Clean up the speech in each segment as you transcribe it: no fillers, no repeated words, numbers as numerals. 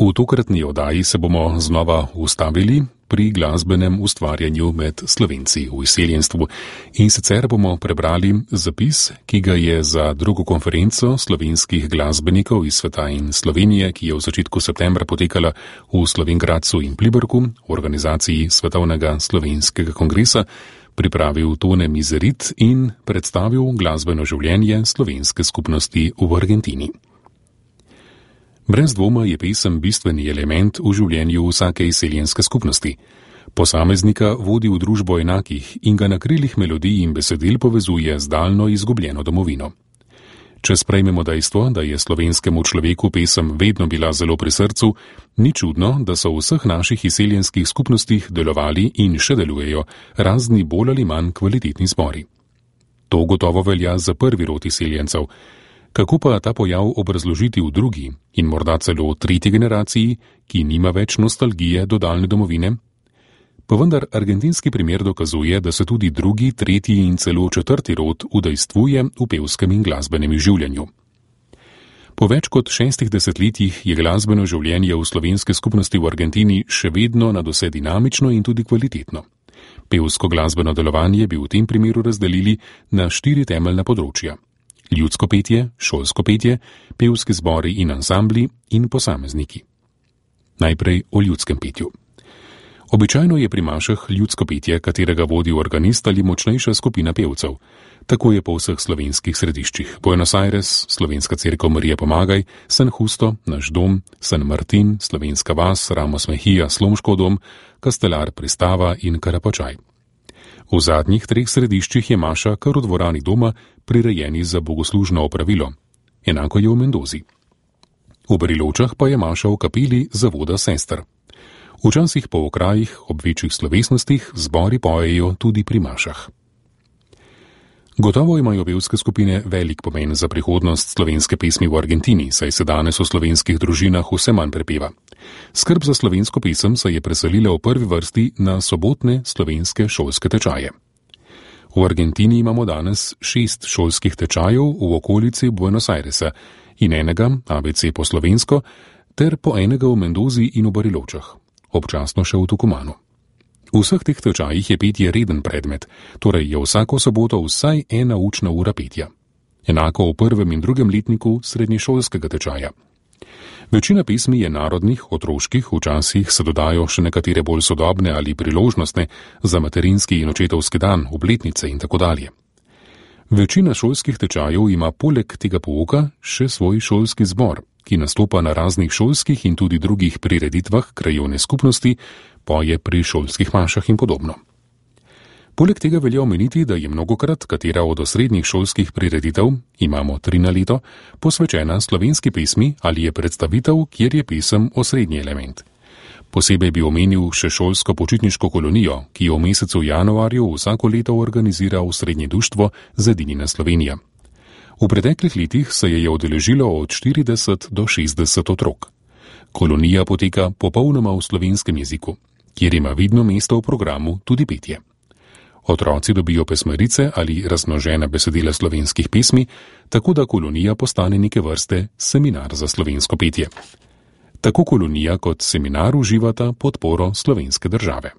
V tokratni oddaji se bomo znova ustavili pri glasbenem ustvarjanju med Slovenci v izseljenstvu in sicer bomo prebrali zapis, ki ga je za drugo konferenco slovenskih glasbenikov iz sveta in Slovenije, ki je v začetku septembra potekala v Slovenj Gradcu in Pliberku, v organizaciji Svetovnega slovenskega kongresa, pripravil Tone Mizerit in predstavil glasbeno življenje slovenske skupnosti v Argentini. Brez dvoma je pesem bistveni element v življenju vsake izseljenske skupnosti. Posameznika vodi v družbo enakih in ga na krilih melodij in besedil povezuje z daljno izgubljeno domovino. Če sprejmemo dejstvo, da je slovenskemu človeku pesem vedno bila zelo pri srcu, ni čudno, da so v vseh naših izseljenskih skupnostih delovali in še delujejo razni bolj ali manj kvalitetni zbori. To gotovo velja za prvi rod izseljencev. Kako pa ta pojav obrazložiti v drugi in morda celo v tretji generaciji, ki nima več nostalgije do daljne domovine? Pa vendar argentinski primer dokazuje, da se tudi drugi, tretji in celo četrti rod udejstvuje v pevskem in glasbenem življenju. Po več kot 6 desetletjih je glasbeno življenje v slovenske skupnosti v Argentini še vedno nadvse dinamično in tudi kvalitetno. Pevsko glasbeno delovanje bi v tem primeru razdelili na 4 temeljna področja. Ljudsko petje, šolsko petje, pevski zbori in ansambli in posamezniki. Najprej o ljudskem petju. Običajno je pri mašah ljudsko petje, katerega vodi organist ali močnejša skupina pevcev. Tako je po vseh slovenskih središčih. Buenos Aires, Slovenska cerkev Marije Pomagaj, San Justo, Naš dom, San Martin, Slovenska vas, Ramos Mejía, Slomškov dom, Kastelar, Pristava in Karapačaj. V zadnjih 3 središčih je maša kar v dvorani doma prirejeni za bogoslužno opravilo. Enako je v Mendozi. V Bariločah pa je maša v kapeli zavoda sester. Včasih po okrajih ob večjih slovesnostih zbori pojejo tudi pri mašah. Gotovo imajo pevske skupine velik pomen za prihodnost slovenske pesmi v Argentini, saj se danes v slovenskih družinah vse manj prepeva. Skrb za slovensko pesem se je preselila v prvi vrsti na sobotne slovenske šolske tečaje. V Argentini imamo danes 6 šolskih tečajev v okolici Buenos Airesa in enega, ABC po slovensko, ter po enega v Mendozi in v Bariločah, občasno še v Tucumanu. V vseh teh tečajih je petje reden predmet, torej je vsako soboto vsaj 1 učna ura petja. Enako v 1. in 2. letniku srednješolskega tečaja. Večina pesmi je narodnih, otroških, včasih se dodajo še nekatere bolj sodobne ali priložnostne za materinski in očetovski dan, obletnice in tako dalje. Večina šolskih tečajev ima poleg tega pouka še svoj šolski zbor, ki nastopa na raznih šolskih in tudi drugih prireditvah krajevne skupnosti, poje pri šolskih mašah in podobno. Poleg tega velja omeniti, da je mnogokrat katera od osrednjih šolskih prireditev, imamo 3 na leto, posvečena slovenski pesmi ali je predstavitev, kjer je pesem osrednji element. Posebej bi omenil še šolsko počitniško kolonijo, ki jo v mesecu januarju vsako leto organizira Osrednje društvo Zedinjena Slovenija. V preteklih letih se je udeležilo od 40 do 60 otrok. Kolonija poteka popolnoma v slovenskem jeziku, kjer ima vidno mesto v programu tudi petje. Otroci dobijo pesmarice ali razmnožena besedila slovenskih pesmi, tako da kolonija postane neke vrste seminar za slovensko petje. Tako kolonija kot seminar uživata podporo slovenske države.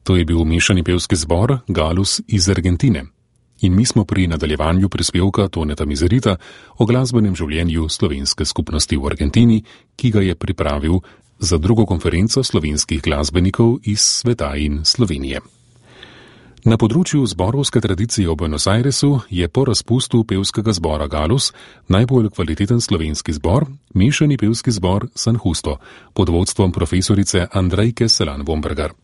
To je bil mešani pevski zbor Galus iz Argentine. In mi smo pri nadaljevanju prispevka Toneta Mizerita o glasbenem življenju slovenske skupnosti v Argentini, ki ga je pripravil za drugo konferenco slovenskih glasbenikov iz sveta in Slovenije. Na področju zborovske tradicije v Buenos Airesu je po razpustu pevskega zbora Galus najbolj kvaliteten slovenski zbor, mešani pevski zbor San Justo, pod vodstvom profesorice Andrejke Selan-Vombergar.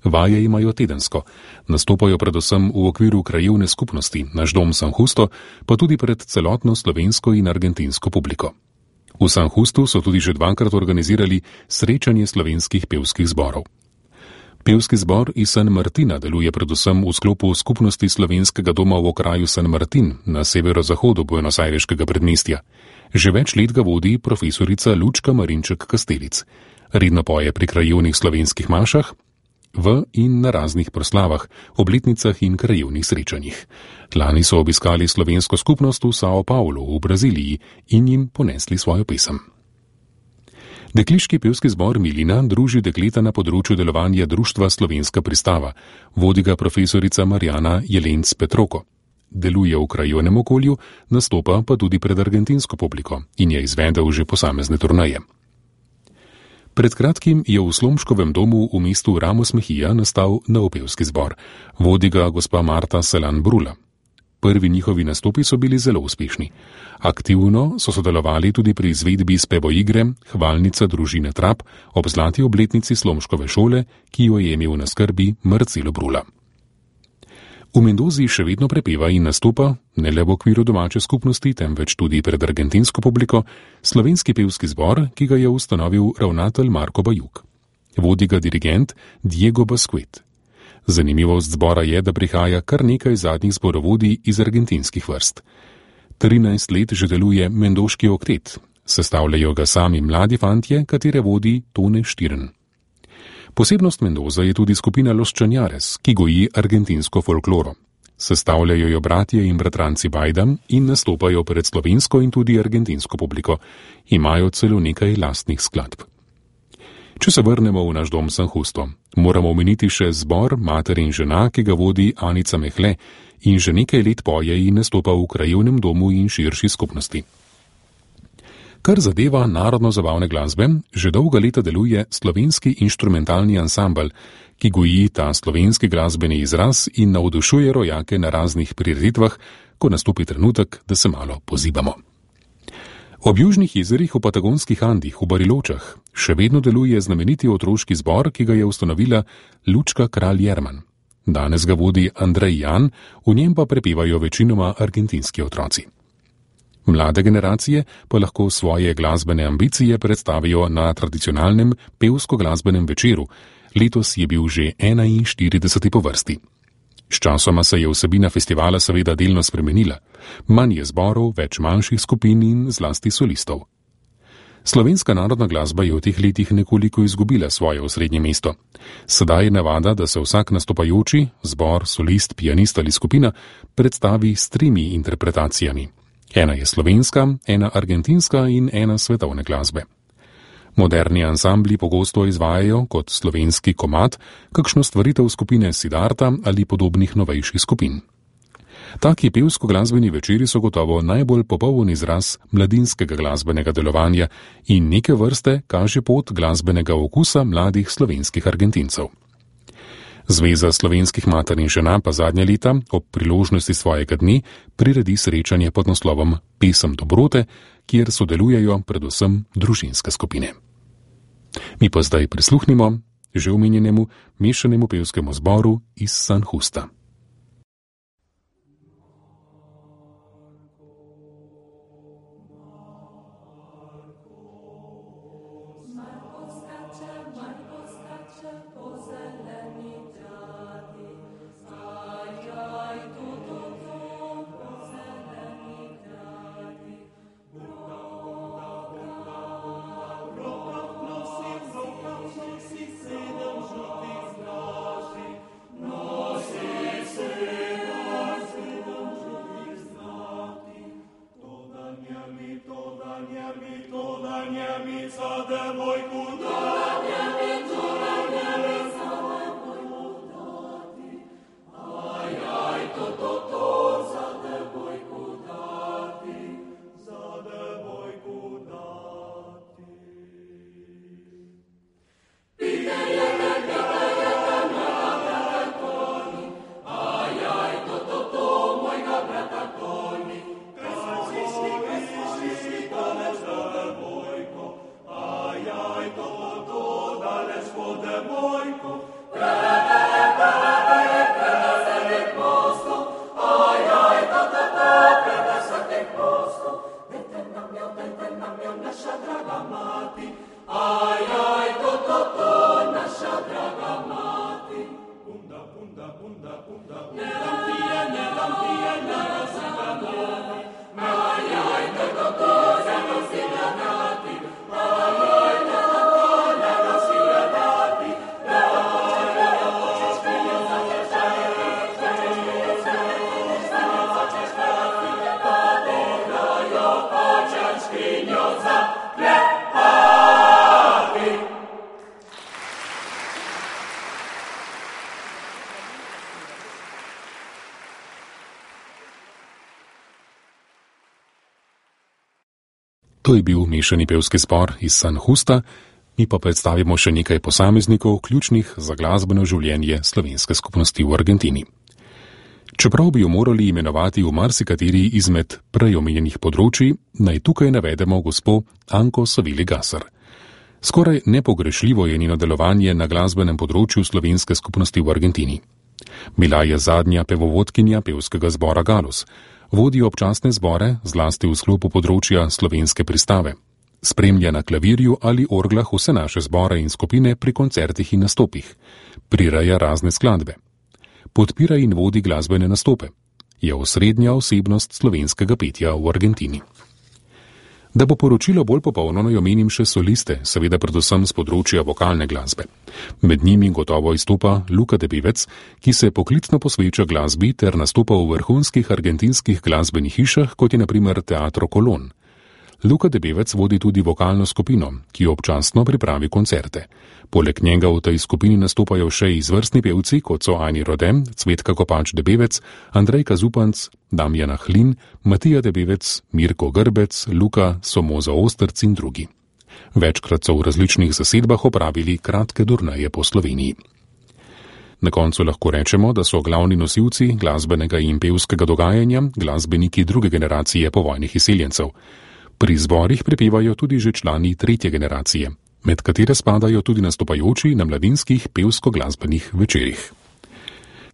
Vaje imajo tedensko, nastopajo predvsem v okviru krajevne skupnosti, naš dom San Justo, pa tudi pred celotno slovensko in argentinsko publiko. V San Justu so tudi že dvakrat organizirali srečanje slovenskih pevskih zborov. Pevski zbor iz San Martina deluje predvsem v sklopu skupnosti slovenskega doma v okraju San Martin na severozahodu Buenos Aireškega predmestja. Že več let ga vodi profesorica Lučka Marinček-Kastelic. Redno poje pri krajevnih slovenskih mašah, v in na raznih proslavah, obletnicah in krajevnih srečanjih. Lani so obiskali slovensko skupnost v Sao Paulo v Braziliji in jim ponesli svojo pesem. Dekliški pevski zbor Milina druži dekleta na področju delovanja društva Slovenska pristava, vodi ga profesorica Marjana Jelenc Petroko. Deluje v krajevnem okolju, nastopa pa tudi pred argentinsko publiko in je izvedel že posamezne turneje. Pred kratkim je v Slomškovem domu v mestu Ramos Mejía nastal nov pevski zbor. Vodi ga gospa Marta Selan-Brula. Prvi njihovi nastopi so bili zelo uspešni. Aktivno so sodelovali tudi pri izvedbi spevo igre Hvalnica družine Trap ob zlati obletnici Slomškove šole, ki jo je imel na skrbi Marcelo Brula. V Mendozi še vedno prepeva in nastopa, ne le v okviru domače skupnosti, temveč tudi pred argentinsko publiko, slovenski pevski zbor, ki ga je ustanovil ravnatelj Marko Bajuk. Vodi ga dirigent Diego Basquet. Zanimivost zbora je, da prihaja kar nekaj zadnjih zborovodij iz argentinskih vrst. 13 let že deluje Mendoški oktet, sestavljajo ga sami mladi fantje, katere vodi Tone Štirn. Posebnost Mendoza je tudi skupina Los Chañares, ki goji argentinsko folkloro. Sestavljajo jo bratje in bratranci Bajda in nastopajo pred slovensko in tudi argentinsko publiko. Imajo celo nekaj lastnih skladb. Če se vrnemo v naš dom San Justo, moramo omeniti še zbor Mater in žena, ki ga vodi Anica Mehle in že nekaj let poje in nastopa v krajevnem domu in širši skupnosti. Kar zadeva narodno-zabavne glasbe, že dolga leta deluje slovenski inštrumentalni ansambel, ki goji ta slovenski glasbeni izraz in navdušuje rojake na raznih prireditvah, ko nastopi trenutek, da se malo pozibamo. Ob južnih jezerih v patagonskih Andih v Bariločah še vedno deluje znameniti otroški zbor, ki ga je ustanovila Lučka Kralj Jerman. Danes ga vodi Andrej Jan, v njem pa prepevajo večinoma argentinski otroci. Mlade generacije pa lahko svoje glasbene ambicije predstavijo na tradicionalnem pevsko-glasbenem večeru. Letos je bil že 41. po vrsti. Sčasoma se je vsebina festivala seveda delno spremenila. Manj je zborov, več manjših skupin in zlasti solistov. Slovenska narodna glasba je v teh letih nekoliko izgubila svoje osrednje mesto. Sedaj je navada, da se vsak nastopajoči, zbor, solist, pianist ali skupina, predstavi s 3 interpretacijami. Ena je slovenska, ena argentinska in ena svetovne glasbe. Moderni ansambli pogosto izvajajo kot slovenski komad kakšno stvaritev skupine Siddharta ali podobnih novejših skupin. Taki pevsko-glasbeni večeri so gotovo najbolj popoln izraz mladinskega glasbenega delovanja in neke vrste kaže pot glasbenega okusa mladih slovenskih Argentincev. Zveza slovenskih mater in žena pa zadnja leta ob priložnosti svojega dne priredi srečanje pod naslovom Pesem dobrote, kjer sodelujejo predvsem družinske skupine. Mi pa zdaj prisluhnimo že omenjenemu mešanemu pevskemu zboru iz San Justa. Nosi To je bil mešani pevski zbor iz San Justa, mi pa predstavimo še nekaj posameznikov, ključnih za glasbeno življenje slovenske skupnosti v Argentini. Čeprav bi jo morali imenovati v marsikateri izmed prej omenjenih področji, naj tukaj navedemo gospo Anko Savili Gasar. Skoraj nepogrešljivo je njeno delovanje na glasbenem področju slovenske skupnosti v Argentini. Bila je zadnja pevovodkinja pevskega zbora Galus, vodi občasne zbore, zlasti v sklopu področja slovenske pristave. Spremlja na klavirju ali orglah vse naše zbore in skupine pri koncertih in nastopih. Prireja razne skladbe. Podpira in vodi glasbene nastope. Je osrednja osebnost slovenskega petja v Argentini. Da bo poročilo bolj popolno, naj omenim še soliste, seveda predvsem z področja vokalne glasbe. Med njimi gotovo izstopa Luka Debevec, ki se poklicno posveča glasbi ter nastopa v vrhunskih argentinskih glasbenih hišah, kot je na primer Teatro Colón. Luka Debevec vodi tudi vokalno skupino, ki občasno pripravi koncerte. Poleg njega v tej skupini nastopajo še izvrstni pevci, kot so Ani Rodem, Cvetka Kopač Debevec, Andrejka Zupanc, Damjana Hlin, Matija Debevec, Mirko Grbec, Luka Somoza Ostrc in drugi. Večkrat so v različnih zasedbah opravili kratke turneje po Sloveniji. Na koncu lahko rečemo, da so glavni nosilci glasbenega in pevskega dogajanja glasbeniki druge generacije povojnih izseljencev. Pri zborih prepevajo tudi že člani tretje generacije, med katere spadajo tudi nastopajoči na mladinskih pevsko-glasbenih večerih.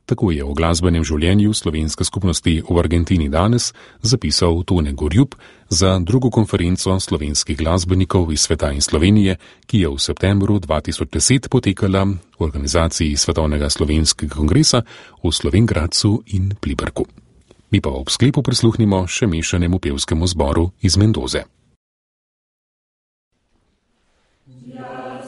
Tako je o glasbenem življenju slovenske skupnosti v Argentini danes zapisal Tone Gorjup za drugo konferenco slovenskih glasbenikov iz sveta in Slovenije, ki je v septembru 2010 potekala v organizaciji Svetovnega slovenskega kongresa v Slovenj Gradcu in Pliberku. Mi pa ob sklepu prisluhnimo še mešanemu pevskemu zboru iz Mendoze. Ja,